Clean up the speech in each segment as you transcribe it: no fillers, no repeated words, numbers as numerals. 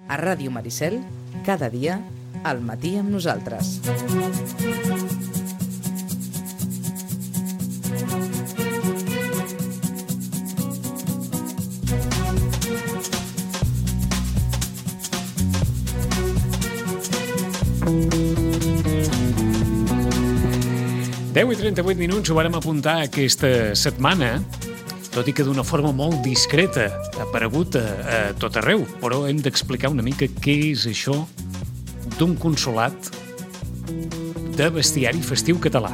A Ràdio Maricel, cada dia, al matí amb nosaltres. Deu i 38 minuts ho vàrem apuntar aquesta setmana, tot i que d'una forma molt discreta, ha aparegut a tot arreu, però hem d'explicar una mica què és això d'un consolat de bestiari festiu català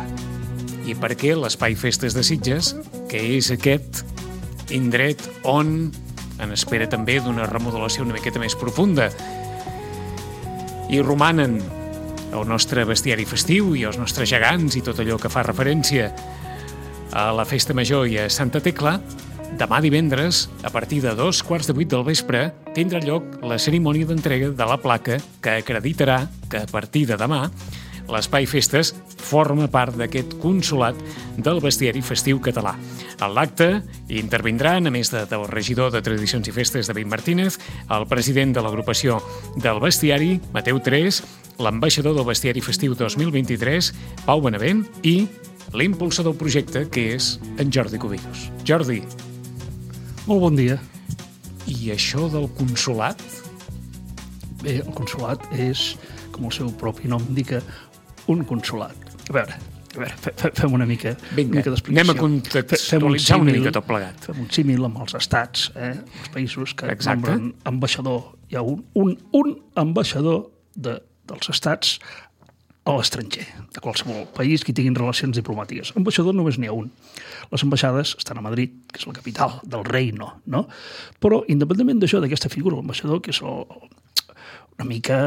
i per què l'Espai Festes de Sitges, que és aquest indret on en espera també d'una remodelació una miqueta més profunda i romanen el nostre bestiari festiu i els nostres gegants i tot allò que fa referència a la Festa Major i a Santa Tecla, demà divendres, a partir de 7:15 del vespre, tindrà lloc la cerimònia d'entrega de la placa que acreditarà que a partir de demà l'Espai Festes forma part d'aquest consolat del bestiari festiu català. En l'acte intervindran, a més del regidor de Tradicions i Festes, David Martínez, el president de l'agrupació del bestiari, Mateu Tres, l'ambaixador del bestiari festiu 2023, Pau Benavent, i l'impulsor del projecte, que és en Jordi Cubillos. Jordi. Molt bon dia. I això del consolat? Bé, el consolat és, com el seu propi nom indica, un consolat. A veure, fem una mica d'explicació. Anem a contextualitzar una mica tot plegat. Fem un símil amb els estats, els països que nombren ambaixador. Hi ha un ambaixador dels estats a l'estranger, de qualsevol país que tinguin relacions diplomàtiques. Ambaixador només n'hi ha un. Les ambaixades estan a Madrid, que és la capital del reino, no? Però, independentment d'això, d'aquesta figura, l'ambaixador, que és una mica,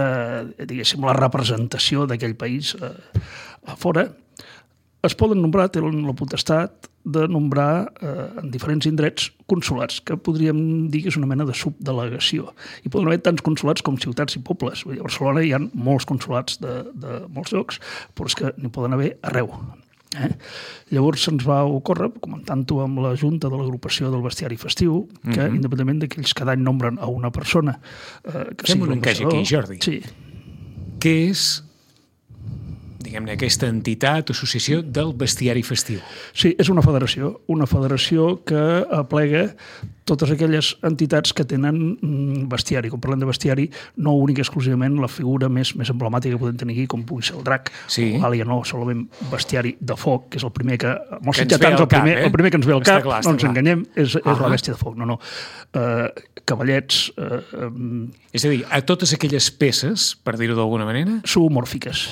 diguéssim, la representació d'aquell país a fora, es poden nombrar, tenen la potestat de nombrar en diferents indrets consolats, que podríem dir que és una mena de subdelegació. I poden haver tants consolats com ciutats i pobles. A Barcelona hi ha molts consolats de molts llocs, però és que n'hi poden haver arreu. Llavors se'ns va ocórrer, comentant-ho amb la Junta de l'agrupació del bestiari festiu, que independentment d'aquells que cada any nombren a una persona que fem un encaix aquí, Jordi. Sí. Què és, diguem-ne, aquesta entitat o associació del bestiari festiu? Sí, és una federació que aplega totes aquelles entitats que tenen bestiari. Quan parlem de bestiari, no únic exclusivament la figura més emblemàtica que podem tenir aquí, com pugui ser el drac, o l'àlia, no solament bestiari de foc, que és el primer que... Amb els sitgetans, el primer que ens ve al cap, no ens enganyem, és la bèstia de foc. No. Cavallets... És a dir, a totes aquelles peces, per dir-ho d'alguna manera... Zoomòrfiques,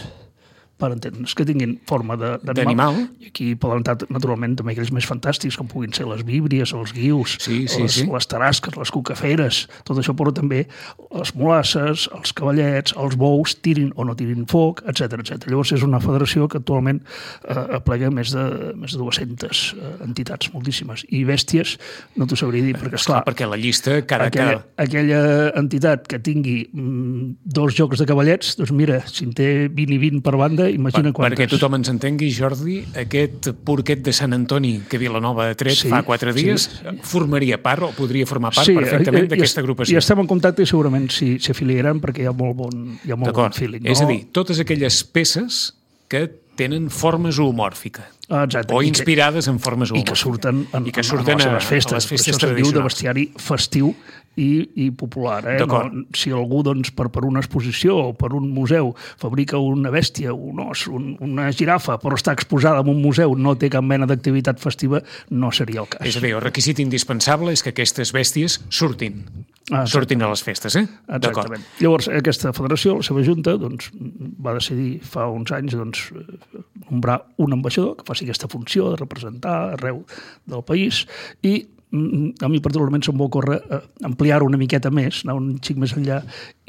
per entendre's, que tinguin forma d'animal. I aquí poden entrar, naturalment, també aquells més fantàstics, com puguin ser les víbries, els guius, les tarasques, les cucaferes, tot això, però també les mulasses, els cavallets, els bous, tirin o no tirin foc, etc. Llavors és una federació que actualment aplega més de 200 entitats, moltíssimes. I bèsties, no t'ho sabria dir, perquè, esclar, perquè la llista... Aquella entitat que tingui 2 jocs de cavallets, doncs mira, si en té 20 i 20 per banda, imagina quantes. Perquè tothom ens entengui, Jordi, aquest porquet de Sant Antoni que Vilanova ha tret fa 4 dies formaria part o podria formar part perfectament d'aquesta agrupació. I estem en contacte i segurament s'hi afiliaran perquè hi ha molt bon feeling. És a dir, totes aquelles peces que tenen forma zoomòrfica. Exacte. O inspirades en forma zoomòrfica. I que surten a les festes. A les festes tradicionals. Això se'n diu de bestiari festiu i popular. Si algú, doncs, per una exposició o per un museu fabrica una bèstia, un os, una girafa, però està exposada en un museu, no té cap mena d'activitat festiva, no seria el cas. És a dir, el requisit indispensable és que aquestes bèsties surtin a les festes, Exactament. Llavors, aquesta federació, la seva junta, doncs, va decidir fa uns anys nombrar un ambaixador que faci aquesta funció de representar arreu del país i a mi particularment se'm va ocórrer ampliar una miqueta més, anar un xic més enllà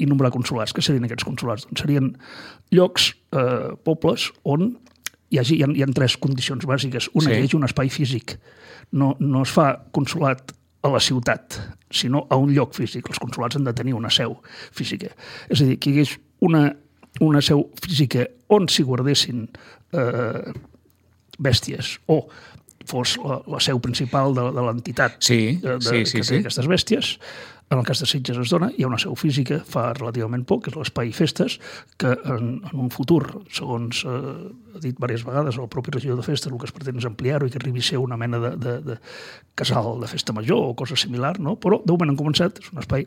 i nombrar consolats. Què serien aquests consolats? Doncs serien llocs, pobles, on hi ha 3 condicions bàsiques. Una, que hi hagi un espai físic. No es fa consolat a la ciutat, sinó a un lloc físic. Els consolats han de tenir una seu física. És a dir, que hi hagués una seu física on s'hi guardessin bèsties o fos la seu principal de l'entitat que té aquestes bèsties, en el cas de Sitges es dona, hi ha una seu física fa relativament poc, que és l'Espai Festes, que en un futur, segons ha dit diverses vegades el propi regidor de Festes, el que es pretén és ampliar-ho i que arribi a ser una mena de casal de festa major o cosa similar, no? Però de moment han començat, és un espai.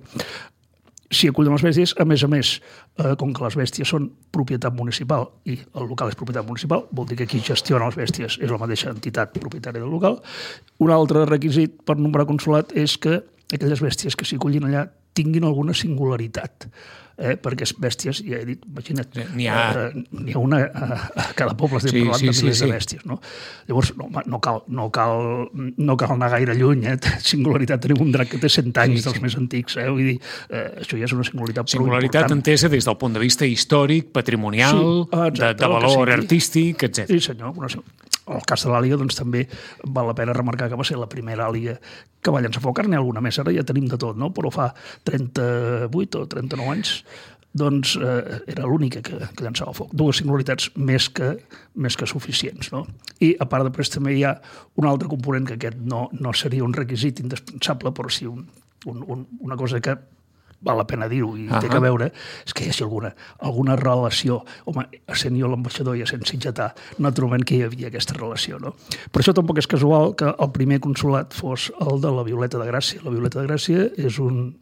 Si acullen les bèsties, a més, com que les bèsties són propietat municipal i el local és propietat municipal, vol dir que qui gestiona les bèsties és la mateixa entitat propietària del local. Un altre requisit per nombrar consolat és que aquelles bèsties que s'hi acullin allà tinguin alguna singularitat. Perquè bèsties, ja he dit, imagina't, n'hi ha una a cada poble, estem parlant de milers de bèsties. No? Llavors, no cal anar gaire lluny. Singularitat, tenim un drac que té 100 anys dels més antics. Vull dir, això ja és una singularitat prou important. Singularitat entesa des del punt de vista històric, patrimonial, de valor artístic, etc. Sí, senyor. En el cas de l'àliga, doncs, també val la pena remarcar que va ser la primera àliga que va llançar foc. N'hi ha alguna més, ara ja tenim de tot, no? Però fa 38 o 39 anys doncs era l'única que llançava foc. Dues singularitats més que suficients. No? I a part després també hi ha un altre component que aquest no seria un requisit indispensable, però sí una cosa que val la pena dir-ho i té que veure, és que hi hagi alguna relació. Home, essent jo l'ambaixador i essent sitgetà, naturalment que hi havia aquesta relació. No? Per això tampoc és casual que el primer consolat fos el de la Violeta de Gràcia. La Violeta de Gràcia és un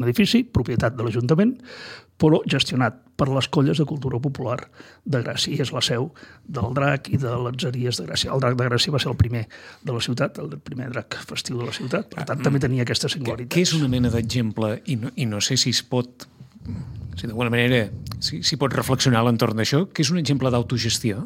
edifici, propietat de l'Ajuntament, però gestionat per les colles de cultura popular de Gràcia. I és la seu del drac i de l'atzeries de Gràcia. El drac de Gràcia va ser el primer de la ciutat, el primer drac festiu de la ciutat. Per tant, també tenia aquesta singularitat. Què és una mena d'exemple, i no sé si es pot, si d'alguna manera s'hi pot reflexionar a l'entorn d'això, que és un exemple d'autogestió?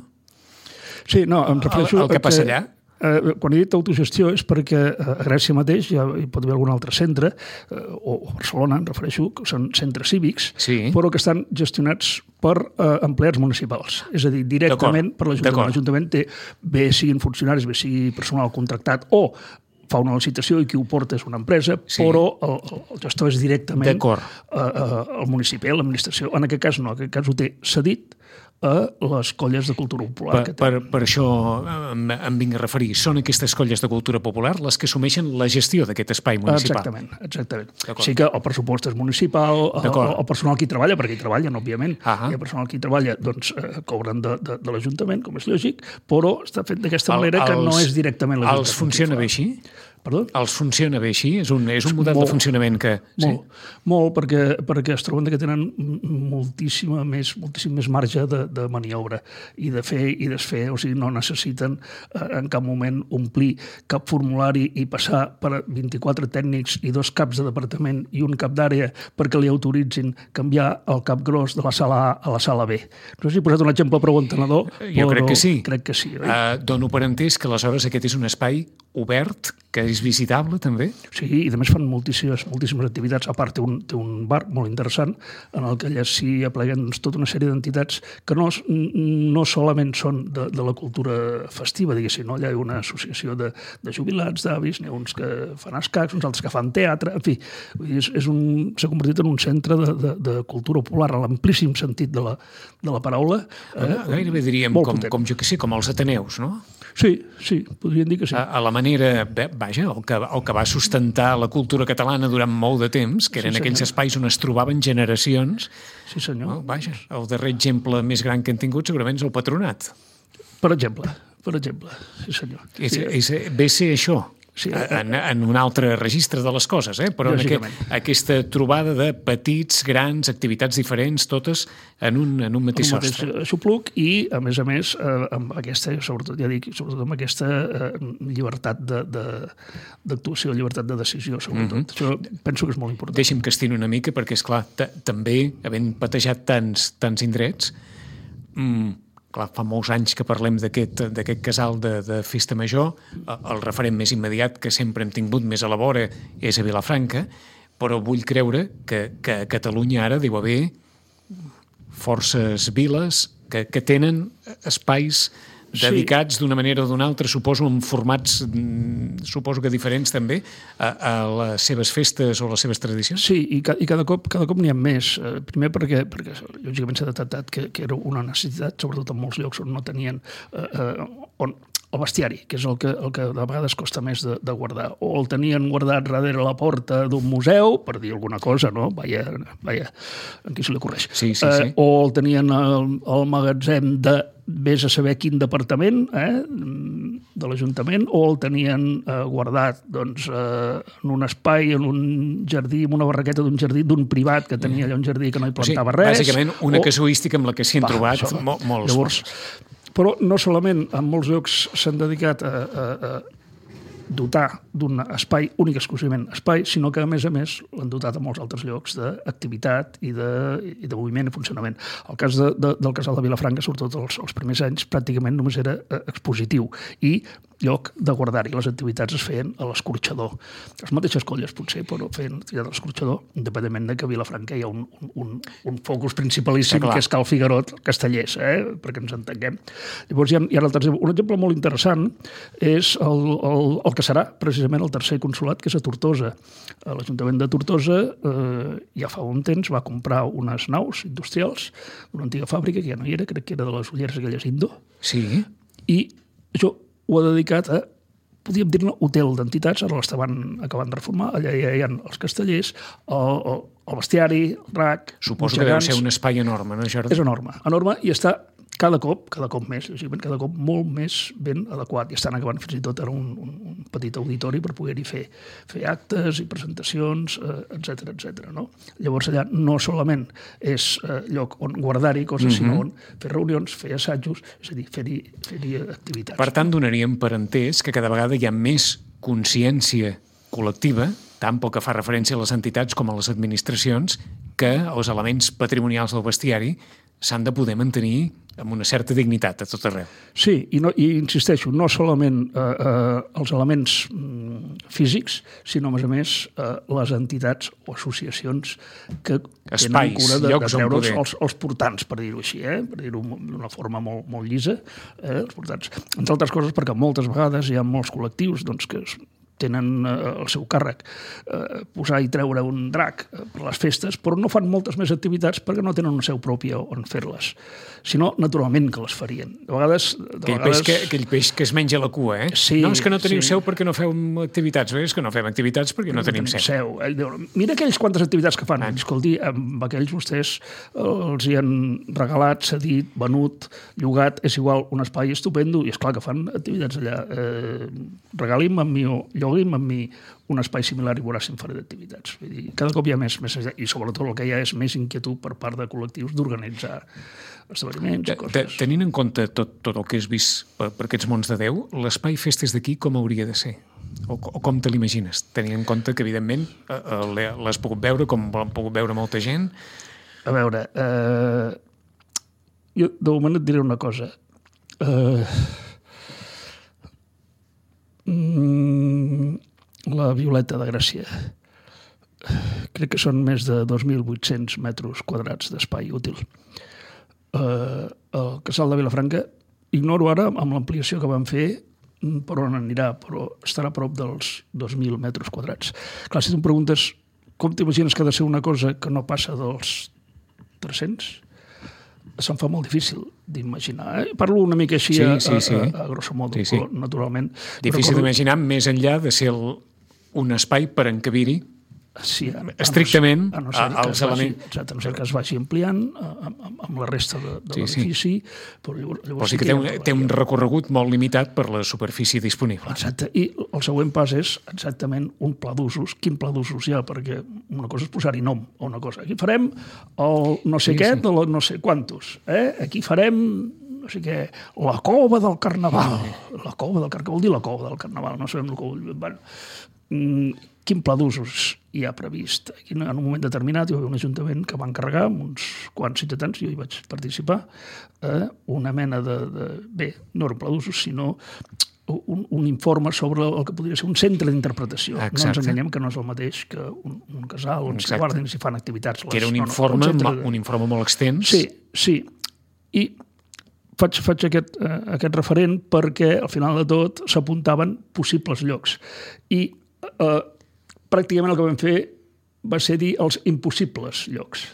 Sí, no, em refereixo el que passa allà? Quan he dit autogestió és perquè a Gràcia mateix ja hi pot haver algun altre centre, o a Barcelona, em refereixo, que són centres cívics, però que estan gestionats per empleats municipals. És a dir, directament per l'Ajuntament. L'Ajuntament té, bé siguin funcionaris, bé sigui personal contractat, o fa una licitació i qui ho porta és una empresa, però el gestor és directament el municipi, l'administració. En aquest cas no, en aquest cas ho té cedit a les colles de cultura popular. Per això em vinc a referir. Són aquestes colles de cultura popular les que assumeixen la gestió d'aquest espai municipal. Exactament. Sí que el pressupost és municipal, el personal que hi treballa, perquè hi treballen, òbviament, i el personal que hi treballa doncs, cobren de l'Ajuntament, com és lògic, però està fet d'aquesta manera que no és directament l'Ajuntament. Els funciona bé així? Perdó? Els funciona bé així? És un model de funcionament que... Molt, perquè es troben que tenen moltíssim més marge de maniobra i de fer i desfer, o sigui, no necessiten en cap moment omplir cap formulari i passar per 24 tècnics i 2 caps de departament i un cap d'àrea perquè li autoritzin canviar el cap gros de la sala A a la sala B. No sé si he posat un exemple prou entenedor, jo crec que sí. Crec que sí. Dono per entès que aleshores aquest és un espai obert, que és visitable també? Sí, i a més fan moltíssimes activitats. A part, té un bar molt interessant en el que allà s'hi apleguen tota una sèrie d'entitats que no solament són de la cultura festiva, diguéssim, no? Allà hi ha una associació de jubilats, d'avis, n'hi ha uns que fan escacs, uns altres que fan teatre, en fi, s'ha convertit en un centre de cultura popular, en l'amplíssim sentit de la paraula. Gairebé diríem com jo que sé, com els Ateneus, no? Sí, podríem dir que sí. A la manera, vaja, el que va sustentar la cultura catalana durant molt de temps, que eren aquells espais on es trobaven generacions. Sí, senyor. Vaja, el darrer exemple més gran que hem tingut segurament és el Patronat. Per exemple, sí senyor. Ve ser això. Sí, en un altre registre de les coses, però en aquesta trobada de petits, grans, activitats diferents, totes en un mateix sostre. Un mateix xupluc i, a més, amb aquesta, sobretot amb aquesta llibertat d'actuació, llibertat de decisió, sobretot. Això penso que és molt important. Deixi'm que estini una mica, perquè, esclar, també, havent patejat tants indrets, clar, fa molts anys que parlem d'aquest casal de festa major, el referent més immediat que sempre hem tingut més a la vora és a Vilafranca, però vull creure que a Catalunya ara deu haver forces viles que tenen espais dedicats d'una manera o d'una altra, suposo, en formats, suposo que diferents també, a les seves festes o les seves tradicions? Sí, i cada cop n'hi ha més. Primer perquè lògicament s'ha detectat que era una necessitat, sobretot en molts llocs on no tenien, on el bestiari, que és el que de vegades costa més de guardar. O el tenien guardat darrere la porta d'un museu, per dir alguna cosa, no? Vaja, en qui se li ocorreix. Sí. O el tenien al magatzem de vés a saber quin departament de l'Ajuntament, o el tenien guardat doncs, en un espai, en un jardí, en una barraqueta d'un jardí, d'un privat que tenia allà un jardí que no hi plantava res. Bàsicament, una casuística amb la que s'hi han trobat molts. Llavors, però no solament en molts llocs s'han dedicat a dotar d'un espai, únic exclusivament espai, sinó que a més l'han dotat a molts altres llocs d'activitat i de moviment i funcionament. El cas del Casal de Vilafranca, sobretot els primers anys, pràcticament només era expositiu i lloc de guardar-hi. Les activitats es feien a l'escorxador. Les mateixes colles, potser, però feien activitat a l'escorxador, independentment de que a Vilafranca hi ha un focus principalíssim, que és Cal Figuerot, Castellers, perquè ens entenguem. Llavors, hi ha un exemple molt interessant, és el que serà precisament el tercer consolat, que és a Tortosa. L'Ajuntament de Tortosa ja fa un temps va comprar unes naus industrials d'una antiga fàbrica que ja no hi era, crec que era de les ulleres aquelles Indo. Sí. I això ho ha dedicat a, podríem dir-ne, hotel d'entitats, ara l'estaven acabant de reformar, allà hi ha els castellers, el bestiari, el drac... Suposo que deu ser un espai enorme, no, Jordi? És enorme, i està cada cop més, lògicament, cada cop molt més ben adequat. I estan acabant fins i tot ara un petit auditori per poder-hi fer actes i presentacions, etc. No? Llavors allà no solament és lloc on guardar-hi coses, sinó on fer reunions, fer assajos, és a dir, fer-hi activitats. Per tant, donaríem per entès que cada vegada hi ha més consciència col·lectiva, tant pel que fa referència a les entitats com a les administracions, que els elements patrimonials del bestiari s'han de poder mantenir amb una certa dignitat a tot arreu. Sí, i insisteixo, no solament els elements físics, sinó, a més, les entitats o associacions que tenen cura de treure els portants, per dir-ho així, per dir-ho d'una forma molt llisa, els portants. Entre altres coses, perquè moltes vegades hi ha molts col·lectius que tenen el seu càrrec posar i treure un drac per les festes, però no fan moltes més activitats perquè no tenen una seu pròpia on fer-les. Si no, naturalment que les farien. De vegades... Aquell peix que es menja la cua, Sí, no, és que no teniu seu perquè no feu activitats. És que no fem activitats perquè no tenim seu. Mira aquells quantes activitats que fan. Escolti, amb aquells vostès els hi han regalat, cedit, venut, llogat, és igual, un espai estupendo, i és clar que fan activitats allà. Regali'm amb mi o llogui'm amb mi un espai similar i veuràs si en faré d'activitats. Cada cop hi ha més i sobretot el que hi ha és més inquietud per part de col·lectius d'organitzar esdeveniments i coses. Tenint en compte tot el que has vist per aquests mons de Déu, l'espai festes d'aquí com hauria de ser? O com te l'imagines? Tenint en compte que, evidentment, l'has pogut veure com l'han pogut veure molta gent. A veure, jo de moment et diré una cosa. La Violeta de Gràcia. Crec que són més de 2.800 metres quadrats d'espai útil. El Casal de Vilafranca, ignoro ara amb l'ampliació que van fer per on anirà, però estarà a prop dels 2.000 metres quadrats. Clar, si tu em preguntes com t'imagines que ha de ser una cosa que no passa dels 300, se'm fa molt difícil d'imaginar. Parlo una mica així a grosso modo, però naturalment... Difícil d'imaginar més enllà de ser un espai per encabir-hi estrictament els elements. Exacte, a no ser que es vagi ampliant amb la resta de l'edifici. Però sí que té un recorregut molt limitat per la superfície disponible. Exacte, i el següent pas és exactament un pla d'usos. Quin pla d'usos hi ha? Perquè una cosa és posar-hi nom a una cosa. Aquí farem el no sé què de no sé quantos. Aquí farem no sé què, la cova del Carnaval. La cova del Carnaval, vol dir la cova del Carnaval, no sabem el que vol dir. Bueno, quin pla d'usos hi ha previst? Aquí, en un moment determinat hi va haver un ajuntament que va encarregar amb uns quants ciutadans, jo hi vaig participar, una mena bé, no era un pla d'usos, sinó un informe sobre el que podria ser un centre d'interpretació. No ens enganyem que no és el mateix que un casal on s'hi guarden i s'hi fan activitats. Que era un informe molt extens. Sí. I faig aquest referent perquè al final de tot s'apuntaven possibles llocs. I pràcticament el que vam fer va ser dir els impossibles llocs.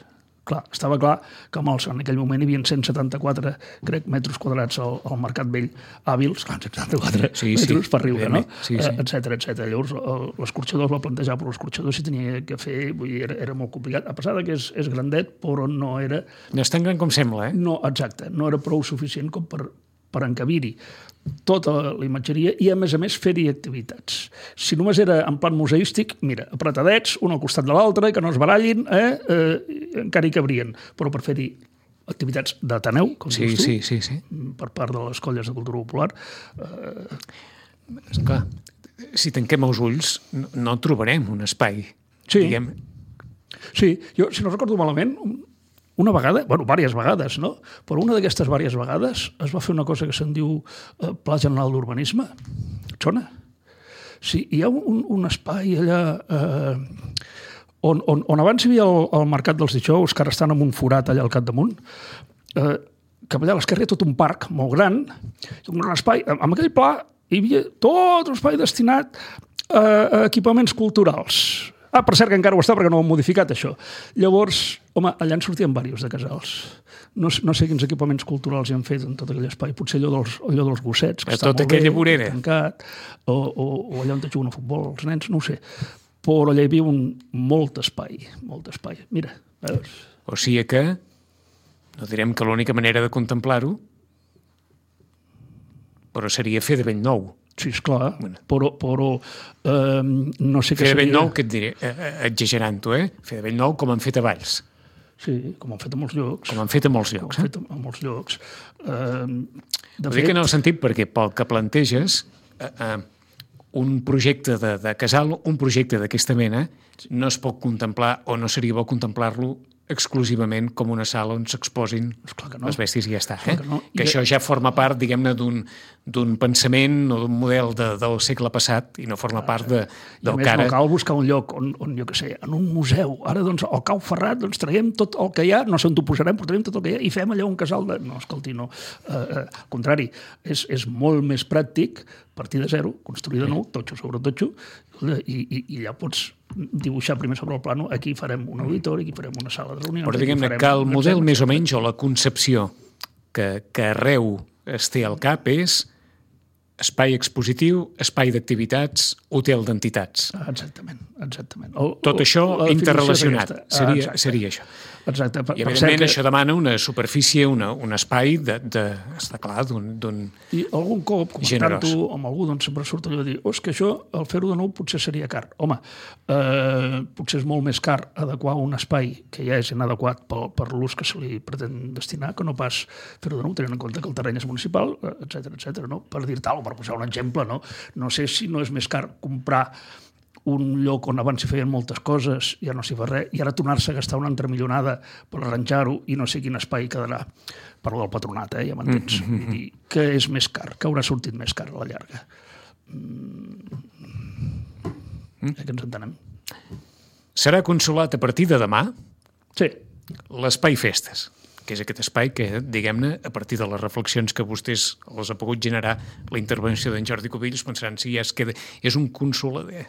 Clar, estava clar que en aquell moment hi havia 174, crec, metres quadrats al Mercat Vell hàbils, 174 metres per riure, no? Etcètera. Llavors, l'escorxador es va plantejar, però l'escorxador s'hi tenia que fer, vull dir, era molt complicat, a pesar que és grandet, però no era... No és tan gran com sembla, No, exacte, no era prou suficient com per encabir-hi tota la imatgeria i, a més, fer-hi activitats. Si només era en plan museístic, mira, apretadets, un al costat de l'altre, que no es barallin, encara hi cabrien. Però per fer-hi activitats d'Ateneu, com dius tu, per part de les colles de cultura popular... Esclar, si tanquem els ulls, no trobarem un espai, diguem... Sí, jo, si no recordo malament, una vegada, diverses vegades, no? Però una d'aquestes diverses vegades es va fer una cosa que se'n diu Pla General d'Urbanisme. Et sona? Sí, hi ha un espai allà on abans hi havia el Mercat dels Dijous, que ara estan en un forat allà al capdamunt, que allà a l'esquerra hi ha tot un parc molt gran, un gran espai. En aquell pla hi havia tot un espai destinat a equipaments culturals. Per cert, que encara ho està perquè no ho han modificat, això. Llavors, home, allà en sortien diversos de casals. No sé quins equipaments culturals hi han fet en tot aquell espai. Potser allò dels gossets, que està molt bé, tancat, o allà on juguen a futbol els nens, no ho sé. Però allà hi havia molt espai. Mira, veus? O sigui que, no direm que l'única manera de contemplar-ho, però seria fer de bell nou. Sí, esclar, però no sé què seria... Fer de bell nou, què et diré? Exagerant-ho, Fer de bell nou com han fet a Valls. Sí, com han fet a molts llocs. Com han fet a molts llocs. Ho dic en el sentit perquè pel que planteges, un projecte de casal, un projecte d'aquesta mena, no es pot contemplar o no seria bo contemplar-lo exclusivament com una sala on s'exposin les bèsties i ja està. Que això ja forma part, diguem-ne, d'un pensament o d'un model del segle passat i no forma part del que ara... I a més no cal buscar un lloc on, jo què sé, en un museu. Ara, doncs, al Cau Ferrat, doncs, traiem tot el que hi ha, no sé on t'ho posarem, però traiem tot el que hi ha i fem allà un casal de... No, escolti, no. Al contrari, és molt més pràctic partir de zero, construir de nou, totxo sobre totxo, i ja pots dibuixar primer sobre el plano, aquí farem un auditori, aquí farem una sala de reunions... Però diguem-ne que el model més o menys, o la concepció que arreu es té al cap és espai expositiu, espai d'activitats, hotel d'entitats. Exactament. Tot això interrelacionat, seria això. Exacte. I, evidentment, això demana una superfície, un espai està clar, d'un I algun cop, comentant-ho amb algú, doncs sempre surt allò de dir que això, el fer-ho de nou, potser seria car. Home, potser és molt més car adequar un espai que ja és inadequat per l'ús que se li pretén destinar, que no pas fer-ho de nou, tenint en compte que el terreny és municipal, etcètera, no? Per dir-te alguna cosa, per posar un exemple, no? No sé si no és més car comprar un lloc on abans s'hi feien moltes coses, ja no s'hi fa res, i ara tornar-se a gastar una altra millonada per arranjar-ho i no sé quin espai quedarà. Parlo del patronat, ja m'entens? I què és més car? Què haurà sortit més car a la llarga? Que ens entenem. Serà consolat a partir de demà? Sí. L'espai Festes, que és aquest espai que, diguem-ne, a partir de les reflexions que vostès els ha pogut generar la intervenció d'en Jordi Cubillos, pensaran si ja és un consolador,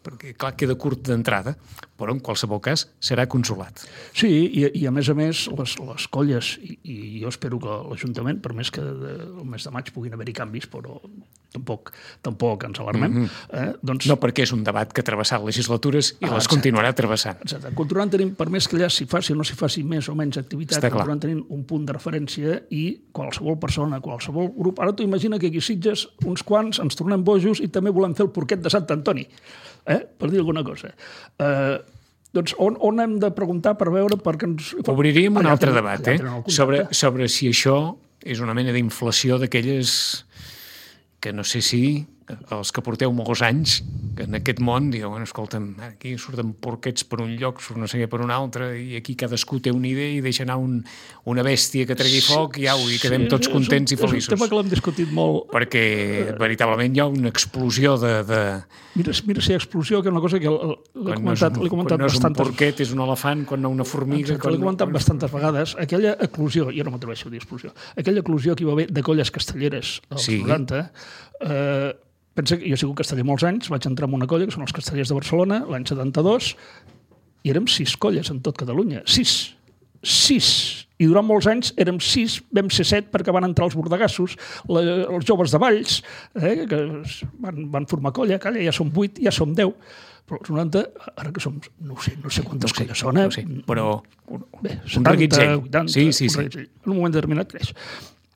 perquè clar, queda curt d'entrada, però en qualsevol cas serà consolat. Sí, i a més, les colles, i jo espero que l'Ajuntament, per més que el mes de maig puguin haver-hi canvis, però tampoc ens alarmem. No, perquè és un debat que ha travessat legislatures i les continuarà travessant. Exacte. Continuant tenint, per més que allà s'hi faci o no s'hi faci més o menys activitat, continuant tenint un punt de referència i qualsevol persona, qualsevol grup... Ara t'ho imagina que aquí a Sitges uns quants ens tornem bojos i també volem fer el porquet de Sant Antoni, per dir alguna cosa. Doncs on hem de preguntar per veure... Obriríem un altre debat, sobre si això és una mena d'inflació d'aquelles que no sé si els que porteu molts anys en aquest món diuen, escolta'm, aquí surten porquets per un lloc, surt no sé què per un altre, i aquí cadascú té una idea i deixa anar una bèstia que tregui foc i au, i quedem tots contents i feliços. És un tema que l'hem discutit molt. Perquè veritablement hi ha una explosió de... Mira si hi ha explosió, que és una cosa que l'he comentat bastantes... Quan no és un porquet, és un elefant, quan no una formiga... L'he comentat bastantes vegades. Aquella eclosió, jo no m'atreveixo a dir explosió, aquella eclosió que hi va haver de colles castelleres als 90, pensa que jo he sigut casteller molts anys, vaig entrar en una colla, que són els castellers de Barcelona, l'any 72, i érem 6 colles en tot Catalunya. 6. 6, i durant molts anys érem 6, vam ser 7 perquè van entrar els bordegassos, els joves de Valls, que van formar colla, calla, ja som 8, ja som 10, però els 90, ara que som, no sé quantes colles són, no sé, però bé, 70, un reguitzell. 80, Sí. En un moment determinat creix.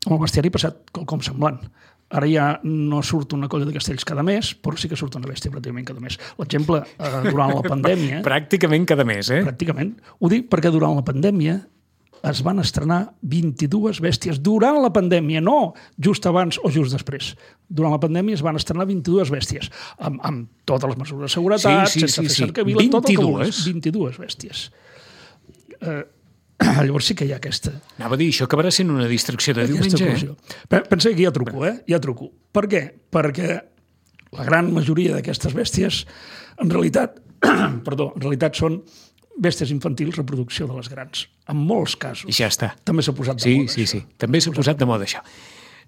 Amb el bestiari ha passat quelcom semblant. Ara ja no surt una colla de castells cada mes, però sí que surt una bèstia pràcticament cada mes. L'exemple, durant la pandèmia... Pràcticament cada mes, Pràcticament. Ho dic perquè durant la pandèmia es van estrenar 22 bèsties. Durant la pandèmia, no just abans o just després. Durant la pandèmia es van estrenar 22 bèsties, amb totes les mesures de seguretat, sense fer cercavila, tot el que vulguis. 22 bèsties. Llavors sí que hi ha aquesta... Anava a dir, això acabarà sent una distracció de diumenge, Pensa que hi ha truco, Hi ha truco. Per què? Perquè la gran majoria d'aquestes bèsties, en realitat són bèsties infantils, reproducció de les grans. En molts casos. I ja està. També s'ha posat de moda. Sí. També s'ha posat de moda, això.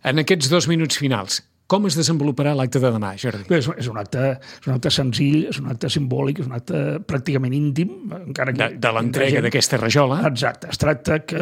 En aquests 2 minuts finals, com es desenvoluparà l'acte de demà, Jordi? És un acte senzill, és un acte simbòlic, és un acte pràcticament íntim. Encara que de l'entrega d'aquesta rajola. Exacte. Es tracta que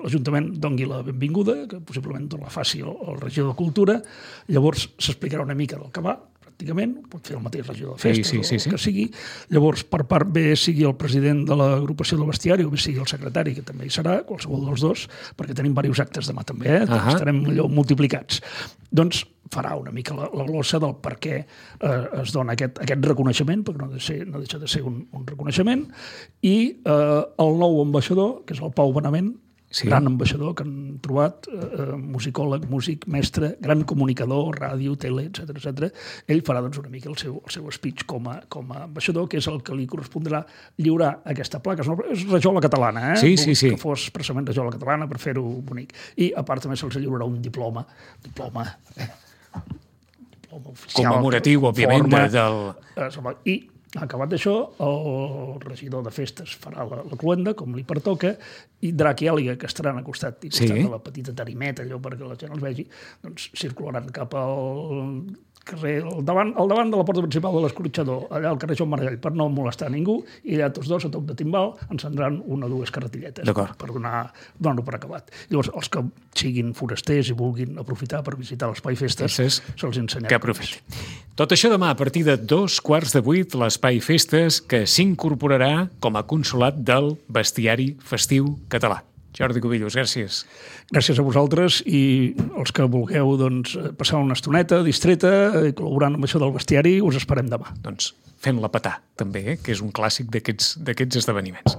l'Ajuntament dongui la benvinguda, que possiblement la faci el regidor de Cultura. Llavors s'explicarà una mica del que va, pràcticament, pot fer el mateix regidor de festes o el que sigui. Llavors, per part bé sigui el president de l'agrupació del bestiari o bé sigui el secretari, que també hi serà, qualsevol dels dos, perquè tenim diversos actes demà també, estarem allò multiplicats. Doncs farà una mica la glossa del per què es dona aquest reconeixement, perquè no deixa de ser un reconeixement, i el nou ambaixador, que és el Pau Benavent, gran ambaixador que han trobat, musicòleg, músic, mestre, gran comunicador, ràdio, tele, etc. Ell farà doncs, una mica el seu speech com a ambaixador, que és el que li correspondrà lliurar aquesta placa. És rajola catalana, Sí. Que fos expressament rajola catalana per fer-ho bonic. I a part també se'ls lliurarà un diploma oficial. Commemoratiu, òbviament, I acabat d'això, el regidor de festes farà la cloenda, com li pertoca, i Drac i Àliga, que estaran al costat de la petita tarimeta, allò perquè la gent els vegi, doncs circularan cap al carrer, al davant de la porta principal de l'escorxador, allà al carrer Joan Maragall, per no molestar ningú, i allà tots dos, a toc de timbal, encendran 1 o 2 carretilletes per donar-ho per acabat. Llavors, els que siguin forasters i vulguin aprofitar per visitar l'Espai Festes, se'ls ensenyarà. Que aprofiti. Tot això demà, a partir de 7:15, l'Espai Festes, que s'incorporarà com a consolat del bestiari festiu català. Jordi Cubillos, gràcies. Gràcies a vosaltres i els que vulgueu passar una estoneta distreta i col·laborant amb això del bestiari, us esperem demà. Doncs fent-la petar, també, que és un clàssic d'aquests esdeveniments.